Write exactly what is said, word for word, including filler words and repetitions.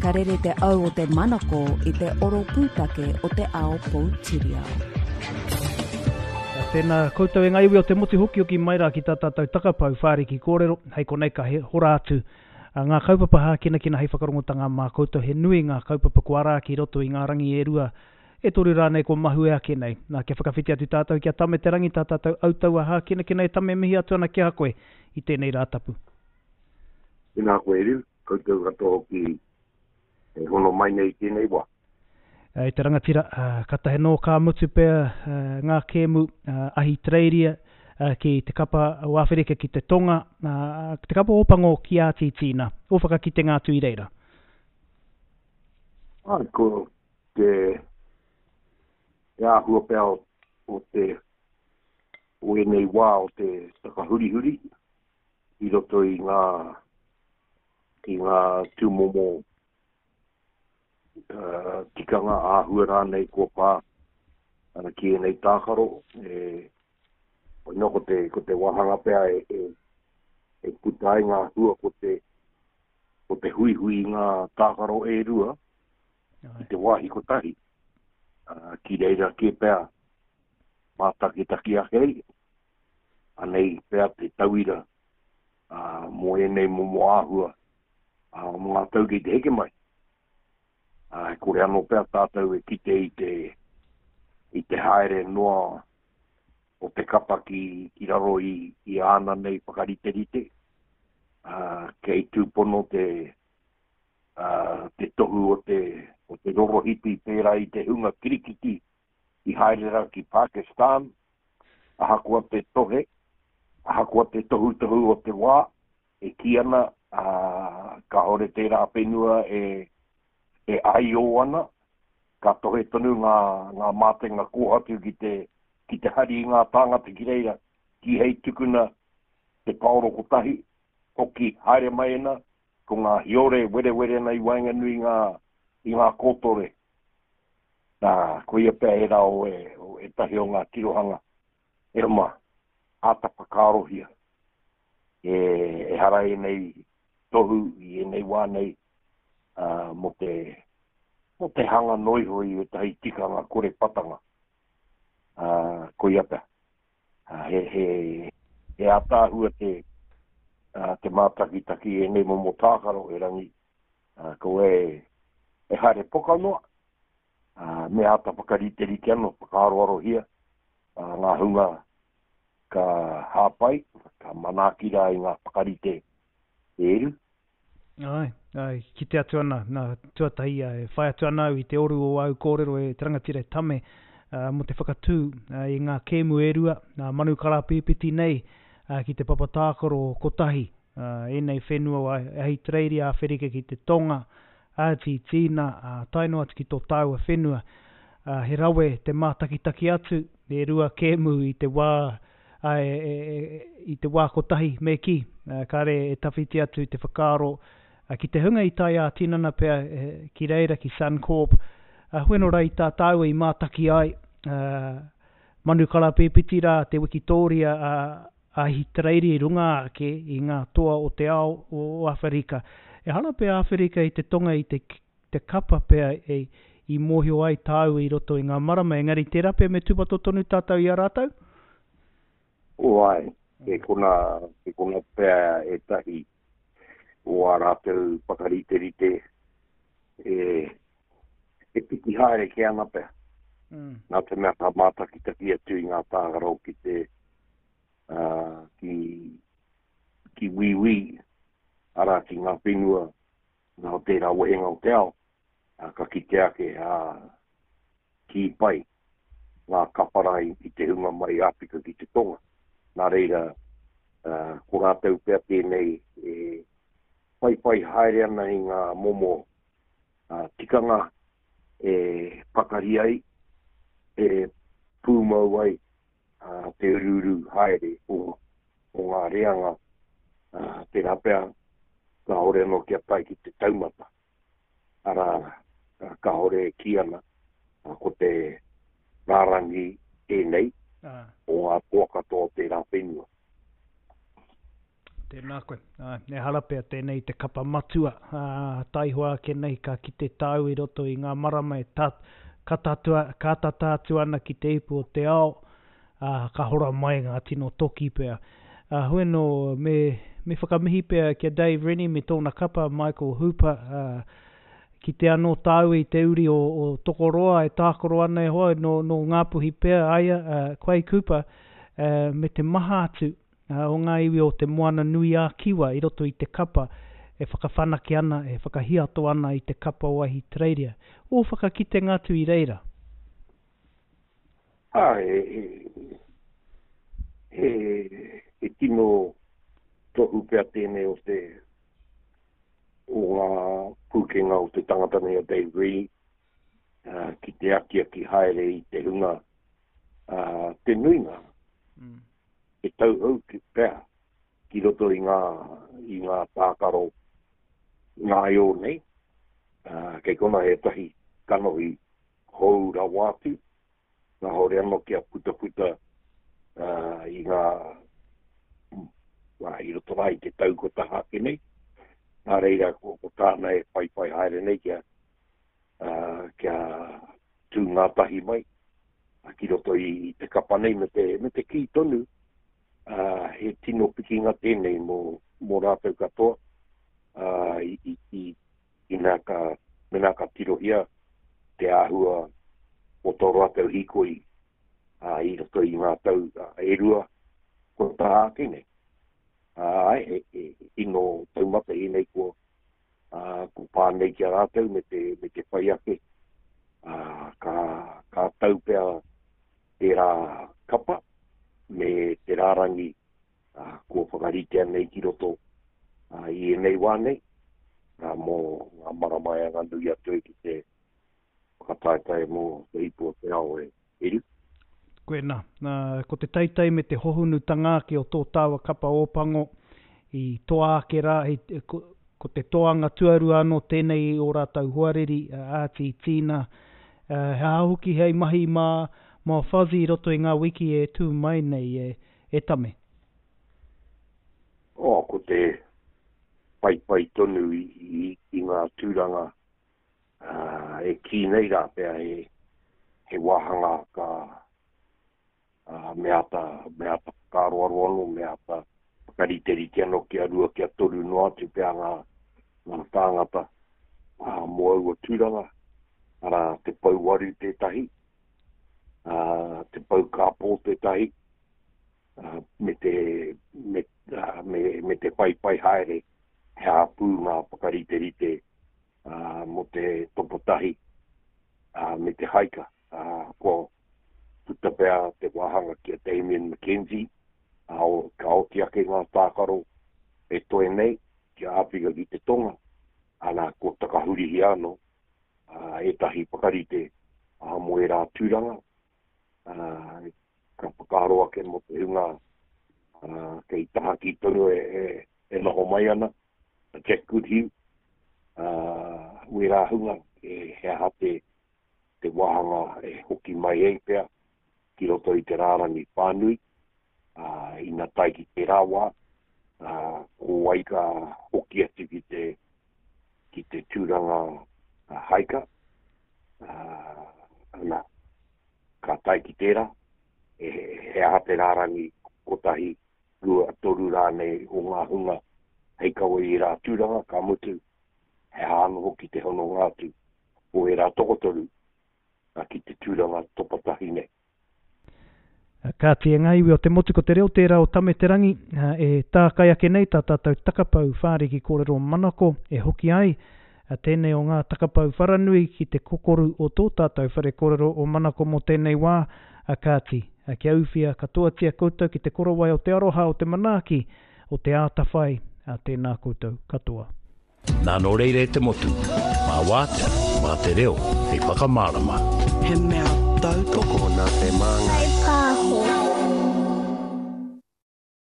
Ka rere te au o te manako i te oro pūtake o te ao poutiriao. Tēnā koutou e ngā iwi o te motu hokihoki mai rā ki tā tātou takapau whāriki kōrero, hei konei ka he hora atu ngā kaupapa hākinakina hei whakarongotanga mā koutou. He nui ngā kaupapa kua ara ki roto i ngā rangi e rua, e toru rānei kua mahue ake nei. Nā, kia whakawhiti atu tātou ki a Tame Te Rangi, tā tātou autaua hākinakina. E Tame, mihi atu ana ki a koe i tēnei rā tapu. Tēnā koe Eru, koutou katoa hoki e hono mai nei i tēnei wā. E te rangatira, katahe nō ka mutu pea ngā kēmu Ahitereiria ki te kapa o Āwherika ki te Tonga, te kapa Ōpango ki Ātitīna. O whakakitenga atu i reira. Ai, ko te, te āhua pea o, o te o ēnei wā o te takahurihuri i roto i ngā i ngā tūmomo Uh, tikanga āhua rānei kua pā ana ki ēnei tākaro. E, no, ko te, ko te wāhanga pea e, e, e puta ai ngā hua ko te, ko te huihui i ngā tākaro e rua i te wāhi kotahi. Uh, ki reira kē pea mātakitaki ake ai. Anei pea te tauira uh, mō ēnei momo āhua uh, mō ngā tau kei te heke mai. Uh, kore anō pea tātou e kite i te, i te haere noa o te kapa ki, ki raro i, i āna nei whakariterite. Uh, kei tūpono te, uh, te tohu o te, o te rorohipi pērā i te hunga kirikiti i haere rā ki Pakistan, ahakoa te tohe, ahakoa te tohutohu o te wā, e kī ana, uh, kāore tērā whenua e e aio ana, ka tohe tonu ngā, ngā mātenga kōhatu ki te, ki te hari i ngā tāngata ki reira, ki hei tukuna te paoro kotahi, hoki haere mai ana, ko ngā hiore werewere ana i waenganui ngā, i ngā kōtore. Nā, koia pea e rā o e, o ētahi o ngā tirohanga. E roma, āta whakaarohia. E, e hara ēnei tohu i ēnei wā nei, Uh, mō te, mō te hanga noiho i ētahi tikanga kore patanga. Uh, koia pea. Uh, he, he, he ātaahua te, uh, te mātakitaki ēnei momo tākaro e rangi. Uh, ko e, e haere poka noa. Uh, me āta whakariterite anō, whakaaroarohia uh, ngā hunga ka hāpai, ka manaaki rā i ngā whakarite e eru. Ai, ai, kite atu ana, nā, tuatahi, e whai atu ana au i te oru o au kōrero e te rangatira e Tame, uh, mō te whakatū uh, i ngā kēmu e rua, nā manu karapīpiti nei uh, ki te papa tākaro kotahi, uh, ēnei whenua o Ahitereiria, Āwherika ki te Tonga, Ātitīna, uh, tae noa atu ki tō tāua whenua. Uh, he rawe te mātakitaki atu, e rua kēmu i te wā, uh, e, e, e, i te wā kotahi, me ki, uh, kāre e tawhiti atu te whakaaro ki te hunga i tae ā-tinana pea ki reira, ki Suncorp, uh, hueno rā i tā tāua i mātaki ai, uh, manu karapīpiti rā te Wikitoria uh, Ahitereiria i runga ake i ngā toa o te ao o Āwherika. E hara pea Āwherika i te Tonga i te, te kapa pea e, i mōhio ai tāua i roto i ngā marama, engari tērā pea me tūpato tonu tātou i a rātou? O ai, e kona, e kona pea ētahi o ā rātou whakariterite e, e piki haere ke ana pea. Mm. Nā te mea ka mātakitaki atu i ngā tākaro ki te uh, ki, ki wīwī, arā ki ngā whenua nā o tērā wehenga o te ao, uh, ka kite ake uh, ki pai ngā kaparai i te hunga mai Āwhika ki te Tonga. Nā reira, uh, ko rātou pea tēnei e whaiwhai haere ana i ngā momo uh, tikanga e pakari ai, e pūmau ai uh, te ururu haere o, o ngā reanga, uh, tērā pea kāore anō kia tae ki te taumata. Arā, uh, kāore e kī ana, uh, ko te rārangi tēnei Ah. o ngā toa katoa o tērā whenua. Tēnā, Tēnā koe. Āe, ehara pea tēnei te kapa matua, ā, taihoa ake nei ka kite tāu i roto i ngā marama e ta, ka tatua, ka tata atu ana ki te ipu o te ao, ā, ka hora mai ngā tino toki pea. Ā, hoi anō, me, me whakamihi pea ki a Dave Rennie me tōna kapa Michael Hooper, ā, kite anō tāu i te uri o, o Tokoroa e tākaro ana e hoa, nō, nō Ngāpuhi pea aia, ā, Quade Cooper, ā, me te maha atu o ngā iwi o te Moana Nui ā-Kiwa i roto i te kapa e whakawhanake ana, e whakahiato ana i te kapa o Ahitereiria. Ō whakakitenga atu i reira? Ā, he, he, he tino tohu pea tēnei o te o ngā pūkenga o te tangata nei o Dave Rennie, uh, ki te akiaki haere i te hunga, uh, te nuinga. Mm. E tauhou ki pea ki roto i ngā, i ngā tākaro ngāio nei. Uh, kei kona he tahi kanohi hou rawa atu, ngā hore anō kia putaputa uh, i ngā wā, i roto rā i te tau ko taha ake nei. Nā reira ko, ko tāna e whaiwhai haere nei kia, uh, kia tū ngā tahi mai ki roto i, i te kapa nei me te, me te kī tonu. Uh, he tino pikinga tēnei mō, mō rātou katoa, uh, i, i, i, ina ka, mena ka tirohia te āhua o tō rātou hīkoi uh, i roto i ngā tau uh, e rua ko tā ake nei. Uh, e, e, tino taumata ēnei kua, uh, ko pā nei ki a rātou me te, me te whai ake. Uh, ka, ka tau pea tērā kapa me te rārangi uh, kua whakaritea nei ki roto uh, i ēnei wā nei, uh, mō ngā marama e anga nui atu e ki te whakataetae mō te ipu o te ao e eru. Koe nā, uh, ko te teitei me te hohunutanga ake o tō tāua kapa Ōpango i toa ake rā, i, ko, ko te toanga tuarua anō tēnei o rātou hoariri, uh, Āti Tīna, uh, he aha hoki hei mahi mā, mā Fuzzy i roto i ngā wiki e tū mai nei e, e tame. Oh, ko te whaiwhai tonu i, i, i ngā tūranga uh, e kī nei rā pea he, he wāhanga ka uh, me ata, me ata whakaaroaro anō, me ata whakariterite anō kia rua, kia toru noa atu pea ngā, ngā tāngata uh, mō aua tūranga, arā te pouwaru tētahi, uh, te pau kāpō tētahi, uh, me te, me, uh, me, me te whaiwhai haere he āpū ngā whakariterite uh, mō te topotahi uh, me te haika. Uh, kua puta pea te wāhanga ki a Damien McKenzie, uh, ka oti ake ngā tākaro e toe nei ki a Āwhika ki te Tonga, ana ko takahurihia anō uh, ētahi whakarite uh, mō ērā tūranga. Uh, ka whakaaro ake mō te hunga uh, kei tahaki tonu e, e, e noho mai ana, a Jack Goodhue, uh, wērā hunga e he aha te, te wāhanga e hoki mai ei pea ki roto i te rārangi whānui, uh, ina tae ki te rā wā, uh, ko wai ka hoki atu ki te, ki te tūranga uh, haika, uh, ana, ka tae ki tērā, e, he aha te rārangi kotahi, rua, toru rānei o ngā hunga hei kawe i rā tūranga, ka mutu, he aha anō hoki te hononga atu o ērā tokotoru ki te tūranga topatahi nei. Kāti e ngā iwi o te motu ko te reo tērā o Tame Te Rangi, e tākai ake nei tā tātou takapau whāriki kōrero manako e hoki ai tēnei o ngā takapau wharanui ki te kokoru o tō tātou whare kōrero o manako mō tēnei wā, kāti, kia uwhia katoatia koutou ki te korowai o te aroha o te manaaki o te ātawhai, tēnā koutou katoa. Nā nō reira e te motu, mā wātea, mā te reo, hei whakamārama. He mea tautoko nā te māngai. Pāho.